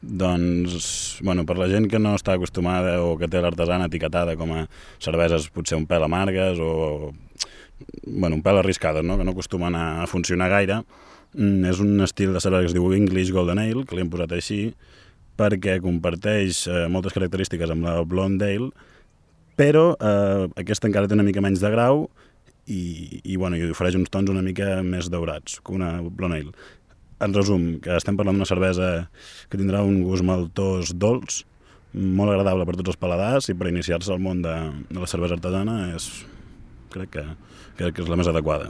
Doncs, bueno, per la gent que no està acostumada o que té l'artesana etiquetada com a cerveses potser un pèl amargues o bueno, un pèl arriscades, no? Que no acostumen a funcionar gaire, és un estil de cervesa que es diu English Golden Ale, que li hem posat així, perquè comparteix moltes característiques amb la Blonde Ale, però aquesta encara té una mica menys de grau i ofereix uns tons una mica més daurats que una Blonde Ale. En resum, que estem parlant d'una cervesa que tindrà un gust maltós dolç, molt agradable per tots els paladars i per iniciar-se al món de la cervesa artesana crec que és la més adequada.